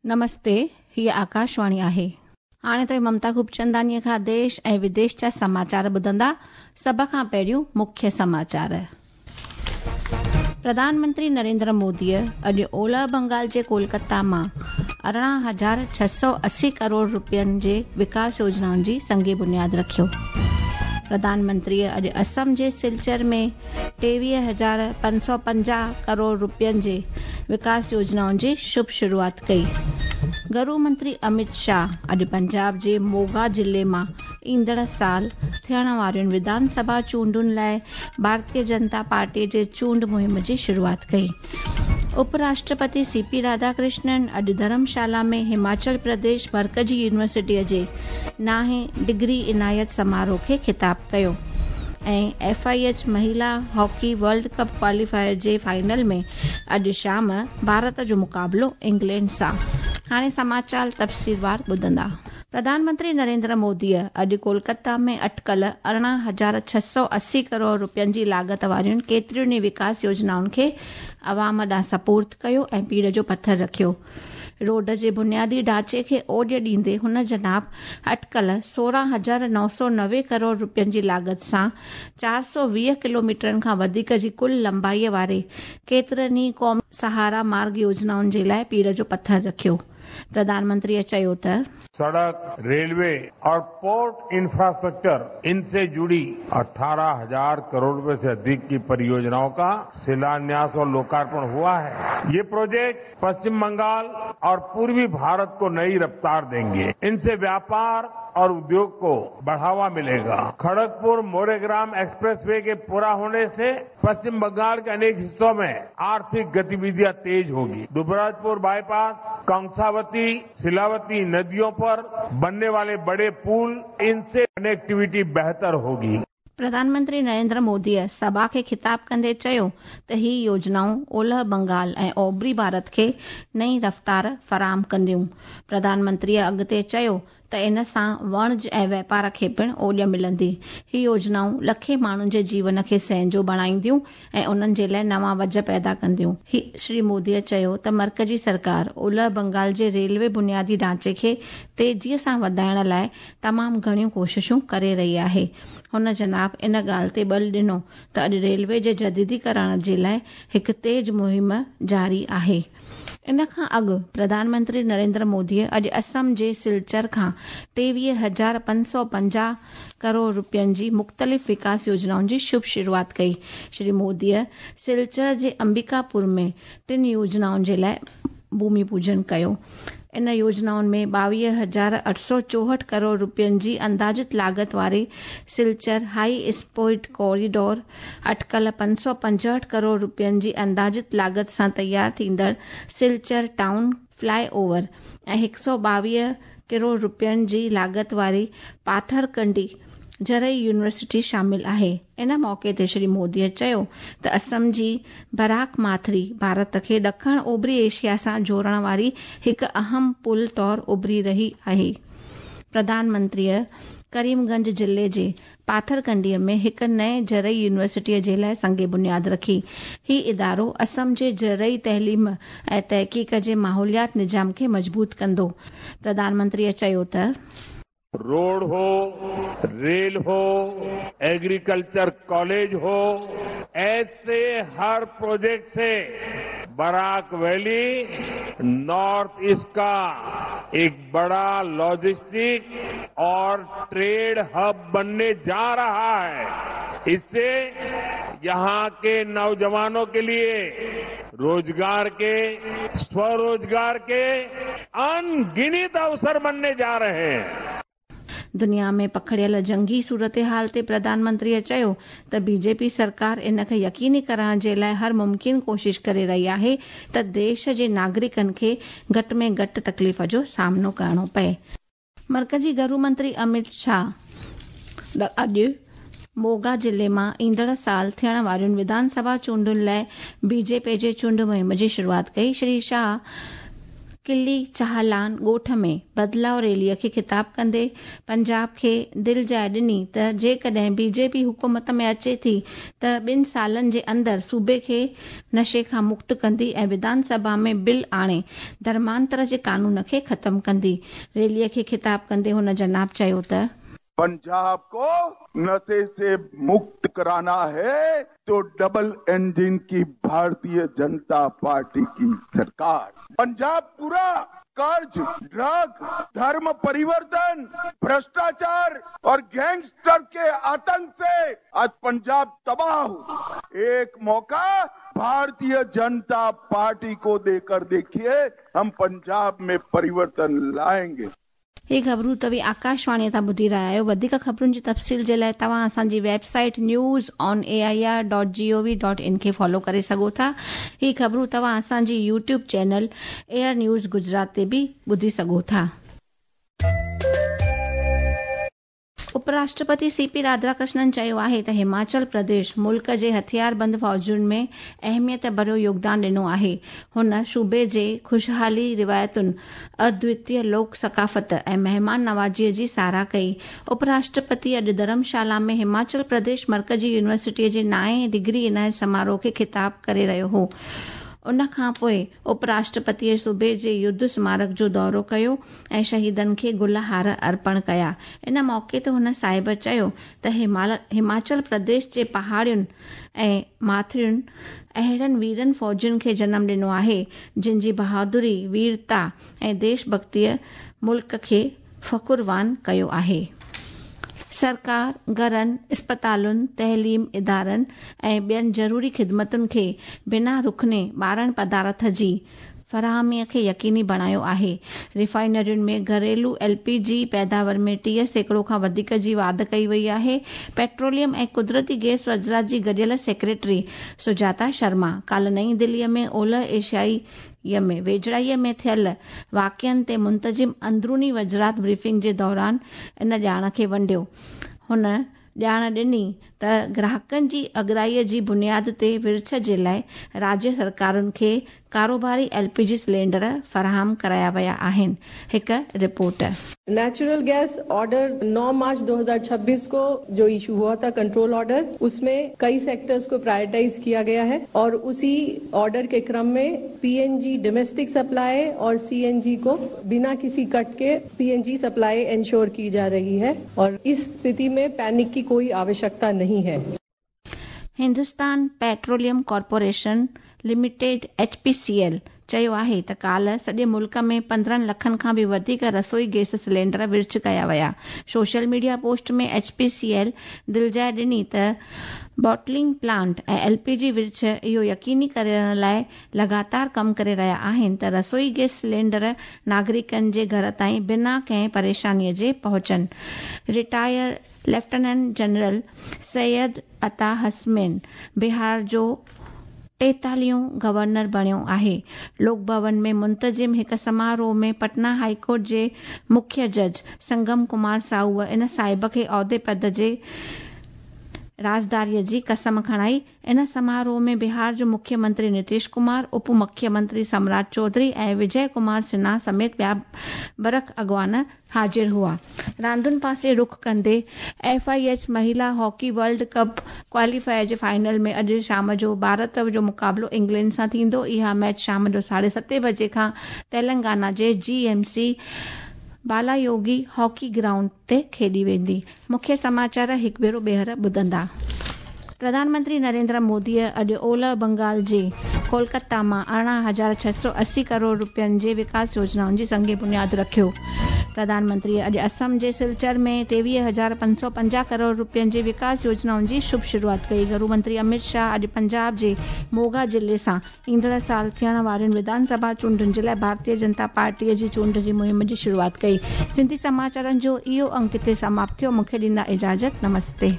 نمستي، هيء آڪاشواڻي آهي. هاڻي توهين ممتا خوبچنداڻيء کان ديش ۽ وديش جا سماچار ٻڌندا. سڀ کان پهريون مکيه سماچار. پرڌان منتري نريندر موديء اڄ اولهه بنگال جي ڪولڪتا مان 18,680 ڪروڙ رپين جي وڪاس يوجنائن جي سنگ بنياد رکيو. پرڌان منتريء اڄ اسم جي سلچر ۾ 23,550 ڪروڙ رپين جي وڪاس يوجنائن جي شڀ شروعات ڪئي. گهرو منتري امت شاهه اڄ پنجاب جي موگا ضلعي مان ايندڙ سال ٿيڻ وارين وڌان سڀا چونڊن لاء ڀارتيه جنتا پارٽي جي چونڊ مهم جي شروعات ڪئي. اپ راشٽرپتي سي پي راڌاڪرشنن اڄ ڌرمشالا ۾ هماچل پرديش مرڪزي يونيورسٽيء جي نائين ڊگري عنايت سماروهه کي خطاب ڪيو ۽ F I H مهيلا hockey world cup qualifier جي فائنل ۾ اڄ شام ڀارت جو مقابلو انگلينڊ سان. هاڻي سماچال تفصيلوار ٻڌندا. پرڌان منتري نريندر موديء اڄ ڪولڪتا ۾ اٽڪل 18,680 ڪروڙ رپين جي لاڳت وارين ڪيترين ئي وڪاس يوجنائن کي عوام ڏانهن سپرد ڪيو ۽ پيڙهه جو پٿر رکيو. روڊ جي بنيادي ڍانچي کي اوڄ ڏيندي هن جناب اٽڪل 16,990 ڪروڙ رپين جي لاڳت سان 420 ڪلوميٽرن کان وڌيڪ جي ڪل لنبائي واري ڪيترن ئي قومي سهارا مارگ يوجنائن جي لاء پيڙهه جو پٿر رکيو. پرڌان منتريء چيو ته. سڙڪ، ريلوي اور پورٽ انفراسٽرڪچر ان سي جڙي 18,000 ڪروڙ روپي سي اڌڪ ڪي پريوجنائون ڪا شلانياس اور لوڪارپڻ هوا هي. يي پروجيڪٽس पश्चिम बंगाल और पूर्वी भारत को नई रफ्तार देंगे। इनसे व्यापार और उद्योग को बढ़ावा मिलेगा। खड़गपुर मोरेग्राम एक्सप्रेसवे के पूरा होने से पश्चिम बंगाल के अनेक हिस्सों में आर्थिक गतिविधियां तेज होगी। दुबराजपुर बाईपास, कंसावती, शिलावती नदियों पर बनने वाले बड़े पुल, इनसे कनेक्टिविटी बेहतर होगी। پرڌان منتري نريندر موديء سڀا کي خطاب ڪندي چيو ته هي يوجنائون اولهه بنگال ۽ اوڀري ڀارت کي نئين رفتار فراهم ڪنديون. پرڌان منتريء اڳتي چيو ته ان سان وڻج ۽ واپار کي پڻ اوڄ ملندي. هي يوجنائون لکين ماڻهن جي جيون کي سهنجو بڻائينديون ۽ انهن جي لاء نوان وجهه پيدا ڪنديون. شري موديء چيو ته مرڪزي سرڪار اولهه بنگال جي ريلوي بنيادي ڍانچي کي تيزيء سان وڌائڻ لاء تمام گهڻيون ڪوششون ڪري رهي آهي. هن جناب ان ڳالهه تي ٻل ڏنو ته اڄ ريلوي جي جديديڪرڻ جي لاء هڪ تيز مهم جاري آهي. ان کان اڳ پرڌان منتري نريندر موديء اڄ اسم جي سلچر کان 23,550 ڪروڙ رپين جي مختلف وڪاس يوجنائن جي شڀ شروعات ڪئي. شري موديء سلچر جي امبيڪاپور ۾ ٽن يوجنائن جي لاء ڀومي پوجن ڪيو. ان يوجنائن ۾ 22,864 ڪروڙ رپين جي اندازت لاڳت واري سلچر هائي اسپيڊ ڪوريڊور، اٽڪل 565 ڪروڙ رپين جي اندازت لاڳت سان تيار ٿيندڙ Silchar town fly over ۽ 122 crore رپين جي لاڳت واري پاٿرڪنڊي زرعي يونيورسٽي شامل آهي. ان موقعي تي شري مودي چيو ته اسم جي براڪ ماٿري ڀارت کي ڏکڻ اوڀري ايشيا سان جوڙڻ واري هڪ اهم پل طور اڀري رهي آهي. پرڌان منتريء ڪريم گنج ضلعي جي پاٿرڪنڊي ۾ هڪ نئين زرعي يونيورسٽيء جي لاء سنگ بنياد رکي. هي ادارو اسم جي زرعي تعليم ۽ تحقيق جي ماحوليات نظام کي مضبوط ڪندو. پرڌان منتريء چيو ته. روڊ هو، ريل هو، ايگريڪلچر ڪاليج هو، ايسي هر پروجيڪٽ سي براڪ ويلي نارٿ ايسٽ ڪا ايڪ بڙا لاجسٽڪ اور ٽريڊ هب بنني جا رها هي، اس سي يهان ڪي نوجوانون ڪي ليي روزگار ڪي، سوروزگار ڪي انگنت اوسر بنني جا رهي هين. دنيا ۾ پکڙيل جنگي صورتحال تي پرڌان منتريء چيو ته بي جي پي سرڪار ان کي يقيني ڪرڻ جي لاء هر ممڪن ڪوشش ڪري رهي آهي ته ديش جي ناگرڪن کي گهٽ ۾ گهٽ تڪليف جو سامنو ڪرڻو پئي. مرڪزي گهرو منتري اميت شاهه اڄ موگا ضلعي مان ايندڙ سال ٿيڻ وارين وڌان سڀا چونڊن لاء بي جي پي جي چونڊ مهم جي شروعات ڪئي. شري شاهه. ڪلي چاهلان ڳوٺ ۾ بدلاءُ ريليءَ کي خطاب ڪندي پنجاب کي دلجاءِ ڏني ته جيڪڏهن بي جي پي حڪومت ۾ اچي ٿي ته 2 سالن جي اندر صوبي کي نشي کان مڪت ڪندي ۽ وڌان سڀا ۾ بل آڻي ڌرمانتر جي قانون کي ختم ڪندي. ريليءَ کي خطاب ڪندي هن جناب چيو ته पंजाब को नशे से मुक्त कराना है तो डबल इंजन की भारतीय जनता पार्टी की सरकार। पंजाब पूरा कर्ज, ड्रग, धर्म परिवर्तन, भ्रष्टाचार और गैंगस्टर के आतंक से आज पंजाब तबाह हो। एक मौका भारतीय जनता पार्टी को देकर देखिए, हम पंजाब में परिवर्तन लाएंगे। ही ख़बरूं तव्हीं आकाशवाणी तां ॿुधी रहिया आहियो। वधीक ख़बरुनि जी तफ़सील जे लाइ तव्हां असांजी वेबसाइट newsonair.gov.in खे फॉलो करे सघो था। ही ख़बरूं तव्हां असांजी YouTube channel air news Gujarat ते बि ॿुधी सघो था। उपराष्ट्रपति सीपी राधाकृष्णन चयो आहे त हिमाचल प्रदेश मुल्क जे हथियारबंद फ़ौजुनि में अहमियत भरियो योगदान ॾिनो आहे। हुन सूबे जे ख़ुशहाली रिवायतुनि, अद्वितीय लोक सकाफ़त ऐं महिमान नवाज़ीअ जी सराह कई। उपराष्ट्रपति अॼु धर्मशाला में हिमाचल प्रदेश मर्कज़ी यूनिवर्सिटीअ जे 9हें डिग्री इनायत समारोह खे ख़िताब करे रहियो हो। उन खां पोइ उपराष्ट्रपतीअ सूबे जे युद्ध स्मारक जो दौरो कयो ऐं शहीदनि खे गुल हार अर्पण कया। इन मौक़े ते हुन साहिब चयो त हिमाचल प्रदेश जे पहाड़ियुनि ऐं माथरियुनि अहिड़नि वीरनि फ़ौजुनि खे जनम ॾिनो आहे, जिन जी बहादुरी, वीरता ऐं देशभक्तीअ मुल्क खे फ़ख़ुरवान कयो आहे। सरकार घरनि, अस्पतालुनि, तइलीम इदारनि ऐं ॿियनि ज़रूरी ख़िदमतुनि खे बिना रुखने ॿारनि पदार्थ जी फराहमीअ खे यकीनी बणायो आहे। रिफाइनरियुनि में घरेलू एलपीजी पैदावार में 30% खां वधीक जी वाध कई वई आहे। पेट्रोलियम ऐं कुदरती गैस वज़ारत जी गॾियल सेक्रेटरी सुजाता शर्मा काल्ह नई दिल्लीअ में ओलह एशियाई में वेझड़ाईअ में थियल वाक़िअनि ते मुंतज़िम अंदरूनी वज़ारत ब्रीफिंग जे दौरान इन ॼाण खे वंडियो। हुन ॼाण ॾिनी त ग्राहकनि जी अॻराईअ जी बुनियाद ते विर्छ जे लाइ राज्य सरकारुनि खे कारोबारी एलपीजी सिलेंडर फराहम कराया विया आहिनि। हिकु रिपोर्ट। नेचुरल गैस ऑर्डर 9 मार्च 2026 को जो इशू हुआ था कंट्रोल ऑर्डर, उसमें कई सेक्टर्स को प्रायोरिटाइज किया गया है और उसी ऑर्डर के क्रम में पीएनजी डोमेस्टिक सप्लाई और सीएनजी को बिना किसी कट के पीएनजी सप्लाई इंश्योर की जा रही है और इस स्थिति में पैनिक की कोई आवश्यकता नहीं है। Hindustan petroleum corporation limited HPCL चयो आहे त काल्ह सॼे मुल्क में 15 लखनि खां बि वधीक रसोई गैस सिलेंडर विर्छ कया विया। सोशल मीडिया पोस्ट में एचपीसीएल दिलजाइ ॾिनी त बॉटलिंग प्लांट ऐं एलपीजी विर्छ इहो यकीनी करण लाइ लगातार कमु करे रहिया आहिनि त रसोई गैस सिलेंडर नागरिकनि जे घर ताईं बिना कंहिं परेशानीअ जे पहुचनि। Retire lieutenant general Syed Ata Hasnain Bihar जो 43 गवर्नर बणियो आहे। लोक भवन में मुंतज़िम हिकु समारोह में पटना हाईकोर्ट जे मुख्य जज संगम कुमार साहूअ इन साहिब खे औहदे पद जे राज़दारीअ जी कसम खणाई। इन समारोह में बिहार जो मुख्यमंत्री नीतीश कुमार, उप मुख्यमंत्री सम्राट चौधरी ऐं विजय कुमार सिन्हा समेत ॿिया बरख अॻवान हाज़िर हुआ। रांदुनि पासे रुख कंदे एफआईएच महिला हॉकी वर्ल्ड कप क्वालीफायर जे फाइनल में अॼु शाम जो भारत जो मुक़ाबिलो इंग्लैंड सां थींदो। इहा मैच शाम जो 7:30 बजे खां तेलंगाना जे जीएमसी बालायोगी हॉकी ग्राउंड ते खेॾी वेंदी। मुख्य समाचार हिकु भेरो ॿीहर ॿुधंदा। प्रधानमंत्री नरेंद्र मोदीअ अॼु ओलह बंगाल जे कोलकाता मां 18,680 करोड़ रुपयनि जे विकास योजनाउनि जी संग बुनियाद रखियो। प्रधानमंत्री अॼु असम जे सिलचर में 23,550 करोड़ रुपयनि जे विकास योजनाउनि जी शुभ शुरूआत कई। गृह मंत्री अमित शाह अॼु पंजाब जे मोगा ज़िले सां ईंदड़ साल थियण वारियुनि विधानसभा चूंडुनि जे लाइ भारतीय जनता पार्टीअ जी चूंड जी मुहिम जी शुरूआत कई। सिंधी समाचारनि जो इहो अंक हिते समाप्त थियो। मूंखे ॾींदा इजाज़त। नमस्ते।